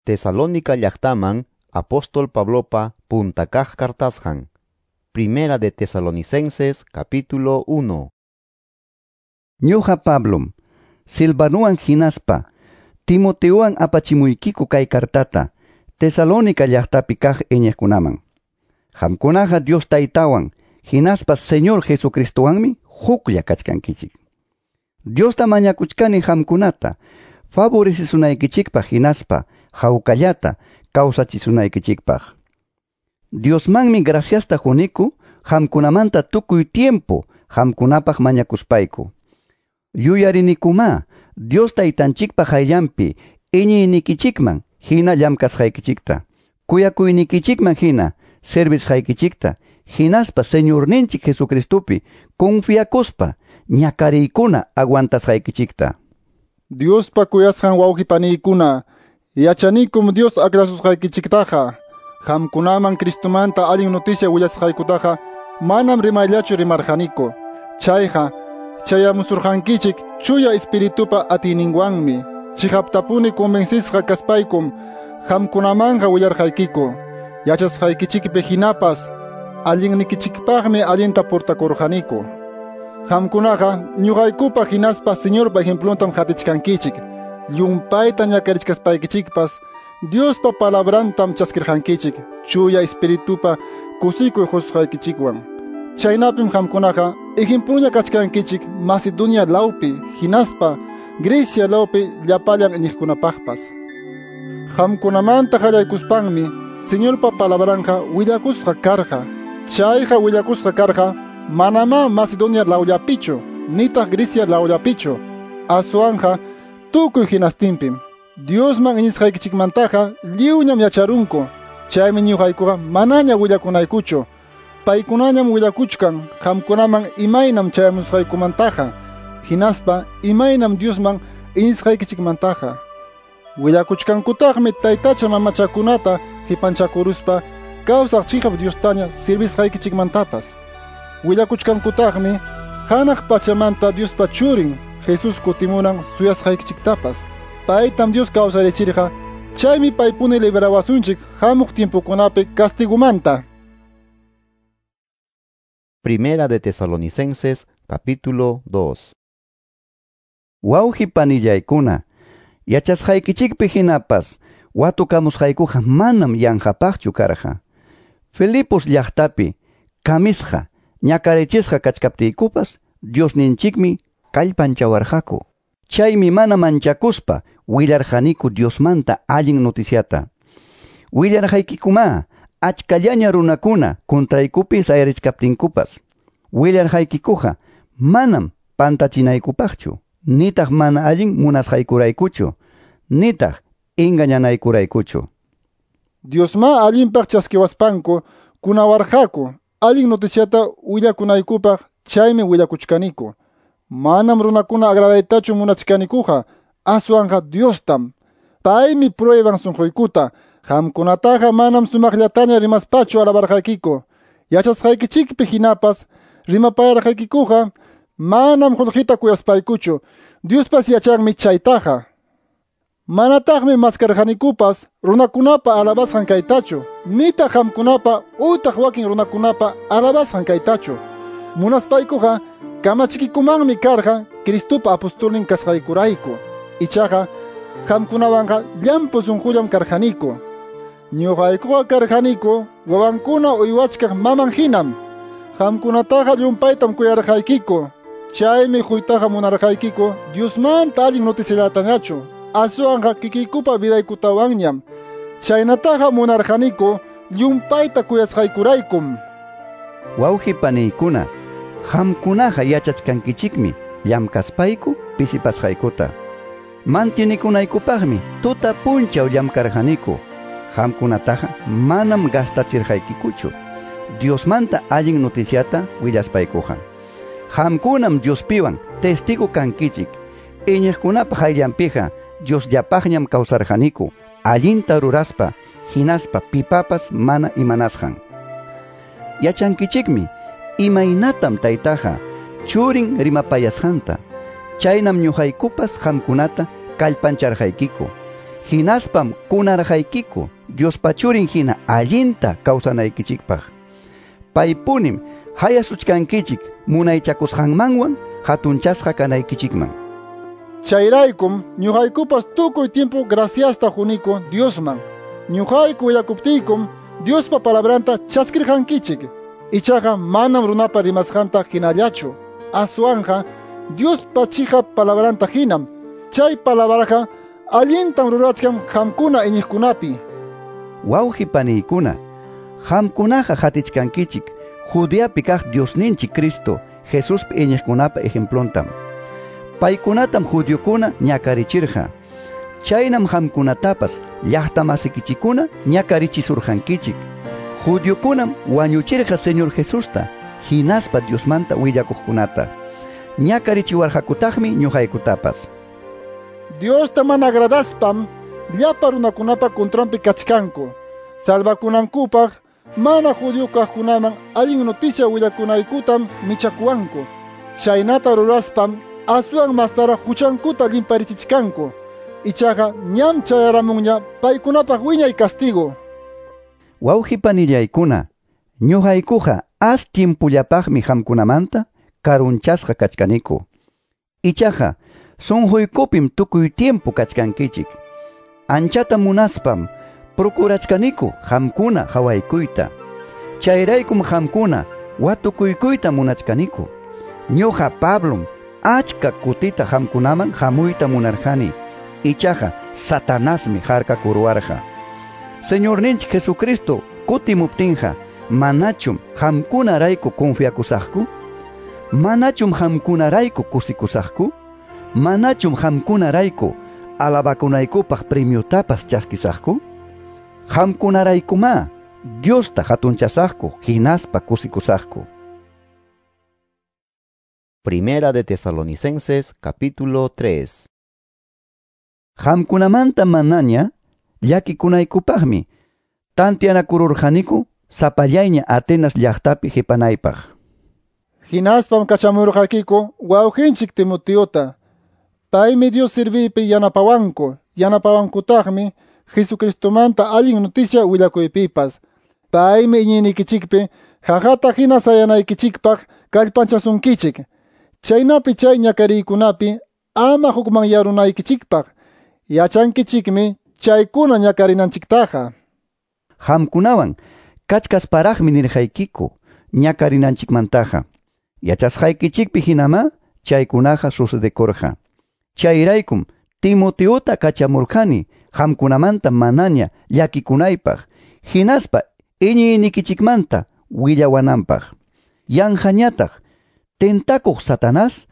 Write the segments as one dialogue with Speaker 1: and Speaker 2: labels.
Speaker 1: Tesalónica llaqtaman apóstol Pablopa punta kaq kartasqan. Primera de Tesalonicenses capítulo 1.
Speaker 2: Ñuqa Pablom, Silvanuwan hinaspa, Timoteowan apachimuykiku kay kartata, Tesalónica llaqtapi kaq iñiqkunaman. Qamkunaqa Dios Taytawan, hinaspa Señor Jesucristowanmi huklla kachkankichik. Diosta mañakuchkani qamkunata, favorecesunaykichikpaq hinaspa hawkallata kawsachisunaykichikpaq. Diosmanmi graciasta quniku qamkunamanta tukuy tiempo qamkunapaq mañakuspayku. Yuyarinikumá Dios Taytanchikpa qayllanpi iñiynikichikman hina llamkasqaykichikta, kuyakuynikichikman hina servisqaykichikta, hinaspa Señorninchik Jesucristopi confiakuspa ñakariykuna aguantasqaykichikta.
Speaker 3: Diospa kuyasqan wawqipaniykuna, yachanikum Dios akrasusqaykichiktaqa. Qamkunaman Cristomanta allin noticia willasqaykutaqa manam rimayllachu rimarqaniku. Chayqa chayamusurqankichik chuya espiritupa atiyninwanmi. Chiqaptapuni convencisqa kaspaykum qamkunamanqa willarqaykiku. Yachasqaykichikpi hinapas allinnikichikpaqmi allinta portakurqaniku. Qamkunaqa ñuqaykupa hinaspa Señorpa ejempluntam qatichkankichik. Llumpayta ñakarichkaspaykichikpas Diospa palabrantam chaskirqankichik chuya espiritupa kusikuy qusqaykichikwan. Chaynapim qamkunaqa ejempluña kachkankichik Macedonia lawpi hinaspa Grecia lawpi llapallan iñiqkunapaqpas. Qamkunamanta qallaykuspanmi Señorpa palabranqa willakusqa karqa. Chayqa willakusqa karqa manamá Macedonia lawllapichu nitaq Grecia lawllapichu, aswanqa tukuy hinastinpim. Diosman iñisqaykichikmantaqa lliwñam yacharunku. Chaymi ñuqaykuqa manaña willakunaykuchu. Paykunañam willakuchkan qamkunaman imaynam chayamusqaykumantaqa, hinaspa imaynam Diosman iñisqaykichikmantaqa. Willakuchkankutaqmi taytacha mamachakunata qipanchakuruspa kawsaq chiqap Diostaña servisqaykichikmantapas. Willakuchkankutaqmi hanaq pachamanta Diospa churin Jesús kutimunan suyasqaykichiktapas. Paytam Dios kawsarichirqa, chaymi paypuni liberawasunchik hamuq tiempokunapi castigumanta.
Speaker 1: Primera de Tesalonicenses capítulo 2.
Speaker 2: Wawqi panillaykuna, yachasqaykichikpi hinapas watukamusqaykuqa manam yanqapaqchu karqa. Filipos llaqtapi kamisqa ñakarichisqa kachkaptiykupas Diosninchikmi kallpanchawarqaku. Chaymi mana manchakuspa willarqaniku Diosmanta allin noticiata. Willarqaykikumá achkallaña runakuna contraykupi sayarichkaptinkupas. Willarqaykikuqa manam pantachinaykupaqchu, nitaq mana allin munasqaykuraykuchu, nitaq engañanaykuraykuchu.
Speaker 3: Diosma allinpaq chaskiwaspanku kunawarqaku allin noticiata willakunaykupaq, chaymi willakuchkaniku. Manam runakuna agradaytachu munachkanikuqa, aswanqa Diostam. Paymi prueban sunquykuta. Qamkunataqa manam sumaqllataña rimaspachu alabarqaykiku. Yachasqaykichikpi hinapas rimapayarqaykikuqa manam qullqita kuyaspaykuchu. Diospas yachanmi chaytaqa. Manataqmi maskarqanikupas runakunapa alabasqan kaytachu, nitaq qamkunapa utaq wakin runakunapa alabasqan kaytachu. Munaspaykuqa kamachikikumanmi karqa Cristopa apostolnin kasqaykurayku. Ichaqa qamkunawanqa llampu sunqullam karqaniku. Ñuqaykuqa karqaniku wawankuna uywachkaq maman hinam. Qamkunataqa llumpaytam kuyarqaykiku. Chaymi quytaqa munarqaykiku Diosmanta allin noticiallatañachu, aswanqa kikiykupa vidaykutawanñam. Chaynataqa munarqaniku llumpayta kuyasqaykuraykum.
Speaker 2: Wawqi paniykuna, qamkunaqa yachachkankichikmi llamkaspayku pisipasqaykuta. Mantinikunaykupaqmi tuta punchaw llamkarqaniku. Qamkunataqa manam gastachirqaykikuchu Diosmanta allin noticiata willaspaykuqa. Qamkunam Diospiwan testigo kankichik. Iñiqkunapa qayllanpiqa Diosllapaqñam kawsarqaniku, allinta ruraspa, hinaspa pipapas mana imanasqan. Yachankichikmi imaynatam taytaqa churin rimapayasqanta. Chaynam ñuqaykupas qamkunata kallpancharqaykiku. Hinaspam kunarqaykiku Diospa churin hina allinta kawsanaykichikpaq. Paypunim hayasuchkankichik munaychakusqanmanwan hatunchasqa kanaykichikman.
Speaker 3: Chayraykum ñuqaykupas tukuy tiempo graciasta quniku Diosman. Ñuqayku willakuptiykum Diospa palabranta chaskirqankichik. Ichaqa manam runapa rimasqanta hinallachu. Aswanqa Diospa chiqap palabranta hinam. Chay palabraqa allintam rurachkan qamkuna iñiqkunapi.
Speaker 2: Wawqi paniykuna, qamkunaqa hatichkankichik Judeapi kaq Diosninchik Cristo Jesuspi iñiqkunapa ejemplontam. Paykunatam judiokuna ñakarichirqa. Chaynam qamkunatapas llaqtamasikichikuna ñakarichisurqankichik. Judiokunam wañuchirqa Señor Jesusta hinaspa Diosmanta willakuqkunata. Ñakarichiwarqakutaqmi ñuqaykutapas.
Speaker 3: Diosta mana agradaspam llapa runakunapa contranpi kachkanku. Salvakunankupaq mana judío kaqkunaman allin noticia willakunaykutam michakuwanku. Chaynata ruraspam aswan mastaraq huchankuta llimparichichkanku. Ichaqa ñam chayaramunña paykunapaq wiñay castigo.
Speaker 2: Wawqi panillaykuna, ñuqaykuqa as tiempullapaqmi qamkunamanta karunchasqa kachkaniku. Ichaqa sunquykupim tukuy tiempo kachkankichik. Anchata munaspam procurachkaniku qamkuna hawaykuyta. Chayraykum qamkuna watukuykuyta munachkaniku. Ñuqa Pablom achka kutita qamkunaman hamuyta munarqani. Ichaqa Satanasmi harkakuruwarqa. Señorninchik Jesucristo kutimuptinqa manachum qamkunarayku confiakusaqku? Manachum qamkunarayku kusikusaqku? Manachum qamkunarayku alabakunaykupaq premiotapas chaskisaqku? Qamkunaraykumá Diosta hatunchasaqku hinaspa kusikusaqku.
Speaker 1: Primera de Tesalonicenses capítulo 3.
Speaker 2: Qamkunamanta manaña llakikunaykupaqmi tantianakururqaniku sapallayña Atenas llaqtapi qipanaypaq.
Speaker 3: Hinaspam kachamurqaykiku wawqinchik Timoteota. Paymi Dios serviypi yanapawanku, yanapawankutaqmi Jesucristomanta allin noticia willakuypipas. Paymi iñiynikichikpi haqata hina sayanaykichikpaq kallpanchasunkichik. Chaynapi chay ñakariykunapi ama hukmanyarunaykichikpaq. Yachankichikmi chaykuna ñakarinanchiktaqa.
Speaker 2: Qamkunawan kachkasparaqmi nirqaykiku ñakarinanchikmantaqa. Yachasqaykichikpi hinamá chaykunaqa sucedekurqa. Chayraykum Timoteota kachamurqani qamkunamanta manaña llakikunaypaq hinaspa iñiynikichikmanta willawananpaq. Yanqañataq tentakuq Satanás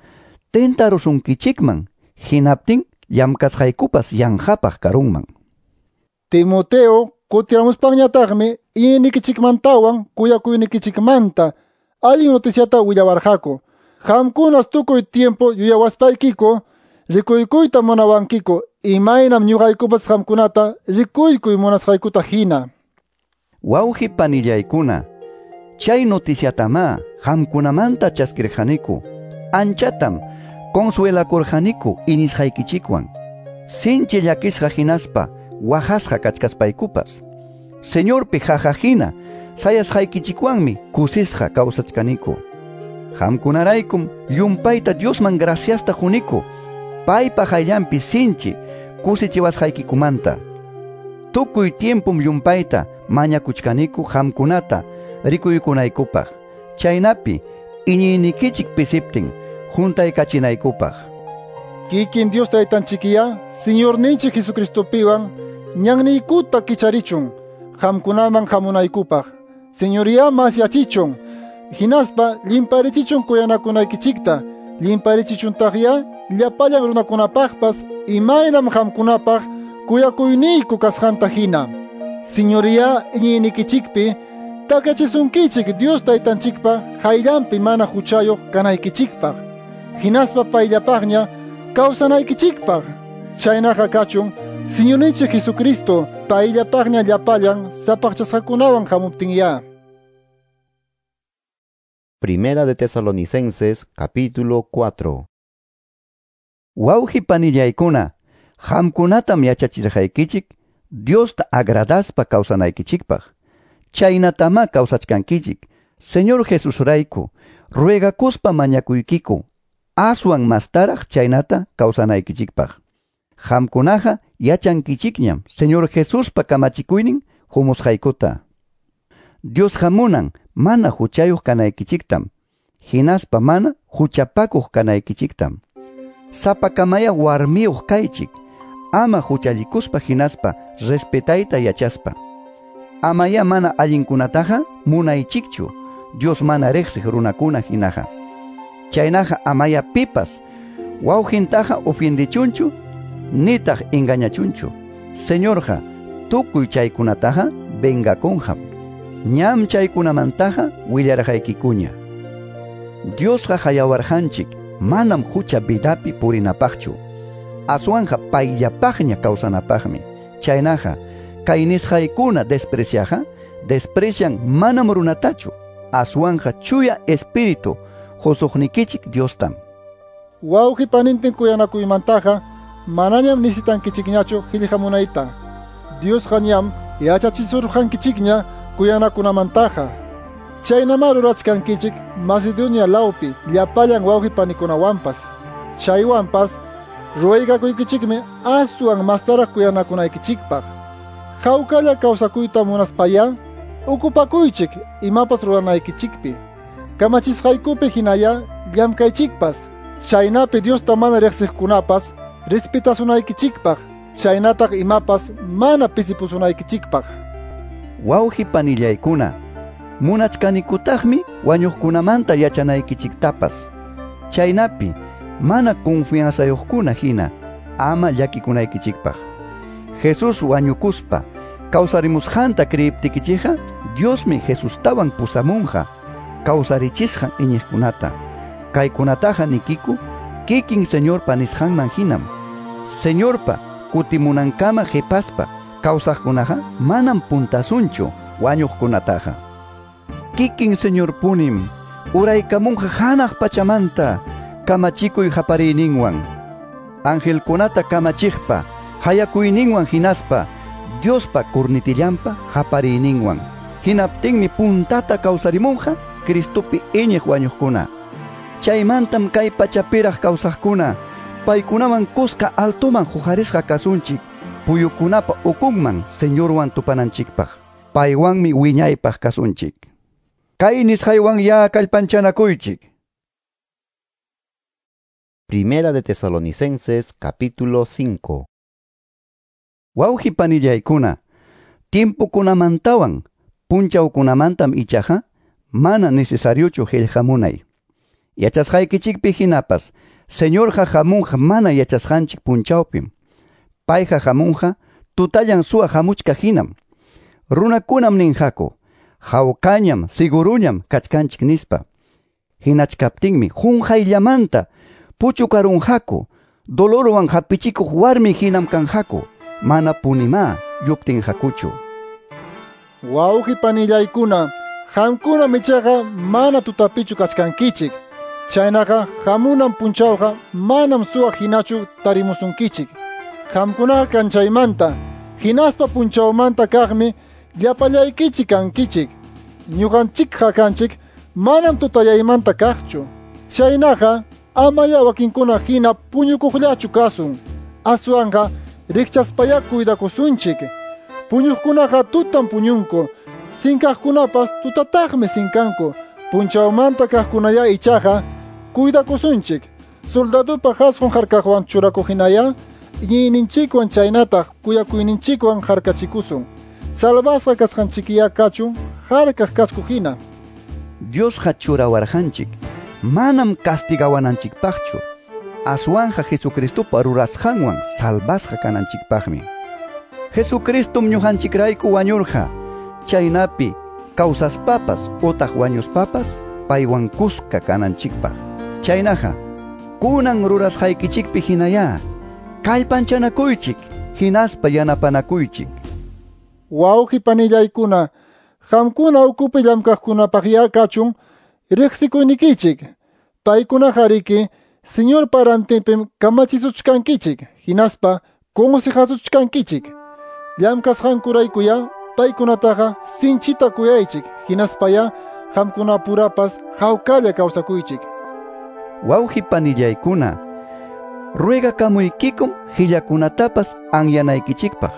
Speaker 2: tentarusunkichikman hinaptin llamkasqaykupas yanqapaq karunman.
Speaker 3: Timoteo kutiramuspanñataqmi iñiynikichikmantawan kuyakuynikichikmanta allin noticiata willawarqaku. Qamkunas tukuy tiempo yuyawaspaykiku rikuykuyta munawankiku imaynam ñuqaykupas qamkunata rikuykuy munasqaykuta hina.
Speaker 2: Wawqi panillaykuna, chay noticiatamá qamkunamanta chaskirqaniku. Anchatam consuelakurqaniku iñisqaykichikwan. Sinchi llakisqa hinaspa waqasqa kachkaspaykupas. Señorpi qaqa hina sayasqaykichikwanmi kusisqa kawsachkaniku. Qamkunaraykum llumpayta Diosman graciasta quniku paypa qayllanpi sinchi kusichiwasqaykikumanta. Tukuy tiempum llumpayta mañakuchkaniku qamkunata rikuykunaykupaq. Chaynapi iñiynikichik pisiptin juntaykachinaykupaq.
Speaker 3: Kikin Dios taytanchikiya Señorninchik Jesucristopiwan ñanniykuta kicharichun qamkunaman hamunaykupaq. Señoría masyachichun hinaspa llimparichichun kuyanakunaykichikta, llimparichichuntaqya llapallan runakunapaqpas imaynam qamkunapaq kuyakuyniyku kasqanta hina. Señoría iñiynikichikpi takachisunkichik Dios taytanchikpa hayllanpi mana huchayuq kanaykichikpaq. Hinaspa payllapaqña kawsanaykichikpaq. Chaynaqa kachun Señorninchik Jesucristo payllapaqña llapallan sapaqchasqakunawan hamuptinya.
Speaker 1: Primera de Tesalonicenses capítulo 4.
Speaker 2: Wawqi panillaykuna, Qamkunatam yachachirqaykichik Diosta agradaspa kawsanaykichikpaq. Chaynatamá kawsachkankichik Señor Jesusrayku ruegakuspa mañakuykiku aswan mastaraq chaynata kawsanaykichikpaq. Qamkunaqa yachankichikñam Señor Jesuspa kamachikuynin humusqaykuta. Diosqa munan mana huchayuq kanaykichiktam, hinaspa mana huchapakuq kanaykichiktam. Sapakamaya warmiyuq kaychik, ama huchallikuspa hinaspa respetayta yachaspa. Amaya mana allinkunataqa munaychikchu, Dios mana riqsiq runakuna hinaqa. Chaynaqa amaya pipas wawqintaqa ofiendichunchu, nitaq engañachunchu. Señorqa tukuy chaykunataqa vengakunqam. Ñam chaykunamantaqa willarqaykikuña. Diosqa hayawarqanchik manam hucha vidapi purinapaqchu. Aswanqa payllapaqña kawsanapaqmi. Chaynaqa kay nisqaykuna despreciaqa, desprecian manam runatachu. Aswanqa chuya espíritu husuqnikichik Diostam.
Speaker 3: Wawqi panintin kuyanakuymantaqa manañam nisitankichikñachu qillqamunayta. Diosqa ñam yachachisurqankichikña kuyanakunamantaqa. Chaynama rurachkankichik Macedonia lawpi llapallan wawqi panikunawanpas. Chaywanpas ruwaykakuykichikmi aswan mastaraq kuyanakunaykichikpaq. Hawkalla kawsakuyta munaspaya ukupakuychik imapas ruranaykichikpi. Kamachisqaykupi hinaya llamkaychikpas. Chaynapi Diosta mana riqsiqkunapas respetasunaykichikpaq. Chaynataq imapas mana pisipusunaykichikpaq.
Speaker 2: Wawqi panillaykuna, munachkanikutaqmi wañuqkunamanta yachanaykichiktapas. Chaynapi mana confianzayuqkuna hina ama llakikunaykichikpaq. Jesús wañukuspa kawsarimusqanta kriyiptikichikqa, Diosmi Jesustawan pusamunqa kawsarichisqan iñiqkunata. Kaykunataqa nikiku kikin Señorpa nisqanman hinam. Señorpa kutimunankama qhipaspa kawsaqkunaqa manam puntasunchu wañuqkunataqa. Kikin Señorpunim uraykamunqa hanaq pachamanta kamachikuy hapariyninwan, angelkunata kamachiqpa hayakuyninwan hinaspa Diospa kurnitillanpa hapariyninwan. Hinaptinmi puntata kawsarimunqa Cristopi iñiq wañuqkuna. Chaymantam kay pachapiraq kawsaqkuna paykunawan kuska altoman huqarisqa kasunchik puyukunapa ukunman Señorwan tupananchikpaq. Paywanmi wiñaypaq kasunchik. Kay nisqaywan ya kallpanchanakuychik.
Speaker 1: Primera de Tesalonicenses capítulo 5.
Speaker 2: Wawqi panillaykuna, tiempokunamantawan punchawkunamantam ichaqa mana necesariochu qillqamunay. Yachasqaykichikpi hinapas Señorqa hamunqa mana yachasqanchik punchawpim. Payqa hamunqa tutallan suwa hamuchka hinam. Runakunam ninqaku, hawkañam, siguruñam kachkanchik nispa. Hinachkaptinmi qunqayllamanta puchukarunqaku, dolorwan hapichikuq warmi hinam kanqaku, mana punimá yuptinqakuchu.
Speaker 3: Wawqi panillaykuna, qamkunam ichaqa mana tutapichu kachkankichik. Chaynaqa hamunan punchawqa manam suwa hinachu tarimusunkichik. Qamkunaqa kanchaymanta, hinaspa punchawmanta kaqmi llapallaykichik kankichik. Ñuqanchikqa kanchik manam tutayaymanta kaqchu. Chaynaqa amaya wakinkuna hina puñukuqllachu kasun. Aswanqa rikchaspaya cuidakusunchik. Puñuqkunaqa tutan puñunku, sinkaqkunapas tutataqmi sinkanku. Punchawmanta kaqkunaya ichaqa cuidakusunchik. Soldadopa qasqun harkaqwan churakuqhinaya iñiyninchikwan chaynataq kuyakuyninchikwan harkachikusun. Salvasqa kasqanchikiya kachun harkaq kasku hina.
Speaker 2: Diosqa churawarqanchik manam castigawananchikpaqchu, aswanja Jesucristopa rurasqanwan salvasqa kananchikpaqmi. Jesucristom ñuqanchikrayku wañurqa, chaynapi kawsaspapas utaq wañuspapas paywan kuska kananchikpaq. Chaynaqa kunan rurasqaykichikpi hinaya kallpanchanakuychik hinaspa yanapanakuychik.
Speaker 3: Wawqi panillaykuna, qamkuna ukupi llamkaqkunapaqya kachun riqsikuynikichik. Paykunaqa riki Señorpa rantinpim kamachisuchkankichik, hinaspa Consejasuchkankichik. Llamkasqankuraykuyá paykunataqa sinchita kuyaychik, hinaspayá qamkunapurapas hawkalla kawsakuychik.
Speaker 2: Wawqi panillaykuna, ruegakamuykikum qillakunatapas anyanaykichikpaq,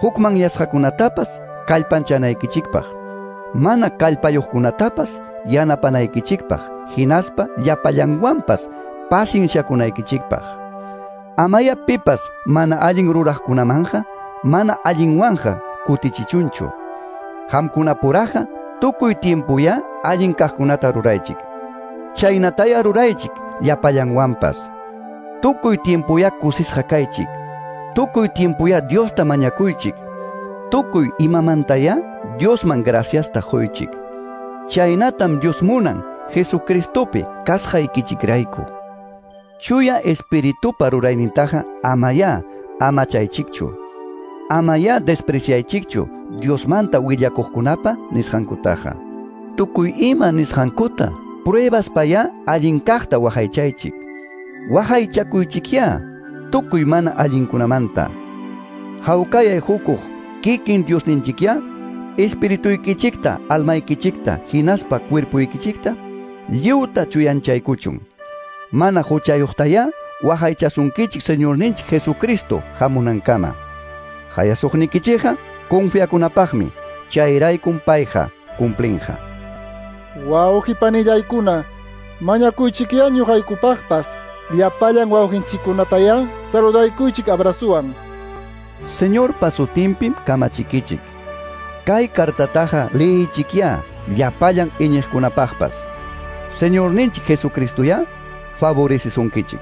Speaker 2: hukmanyasqakunatapas kallpanchanaykichikpaq, mana kallpayuqkunatapas yanapanaykichikpaq, hinaspa llapallanwanpas pacienciakunaykichikpaq. Amaya pipas mana allin ruraqkunamanja, mana allinwanja kutichichunchu. Qamkunapuraqa tukuy tiempuya allin kaqkunata ruraychik. Chaynataya ruraychik llapallanwanpas. Tukuy tiempuya kusisqa kaychik. Tukuy tiempuya Diosta mañakuychik. Tukuy imamantaya Diosman graciasta quychik. Chaynatam Dios munan Jesucristopi kasqaykichikrayku. Chuya Espiritupa ruraynintaqa amaya amachaychikchu. Amaya despreciaychikchu Diosmanta willakuqkunapa nisqankutaqa. Tukuy ima nisqankuta pruebaspaya allin kaqta waqaychaychik. Waqaychakuychikyá tukuy mana allinkunamanta. Hawkayay hukuq kikin Diosninchikyá espirituykichikta, almaykichikta, hinaspa cuerpuykichikta lliwta chuyanchaykuchun. Mana huchayuqtayá waqaychasunkichik Señorninchik Jesucristo hamunankama. Hayasuqnikichikqa confiakunapaqmi, chayraykum payqa cumplinqa.
Speaker 3: Wawqi panillaykuna, mañakuychikyá ñuqaykupaqpas, llapallan wawqinchikkunatayá saludaykuychik abrazuwan.
Speaker 2: Señorpa sutinpim kamachikichik. Kay cartataqa liyichikyá llapallan iñiqkunapaqpas. Señorninchik Jesucristoyá favorecisunkichik.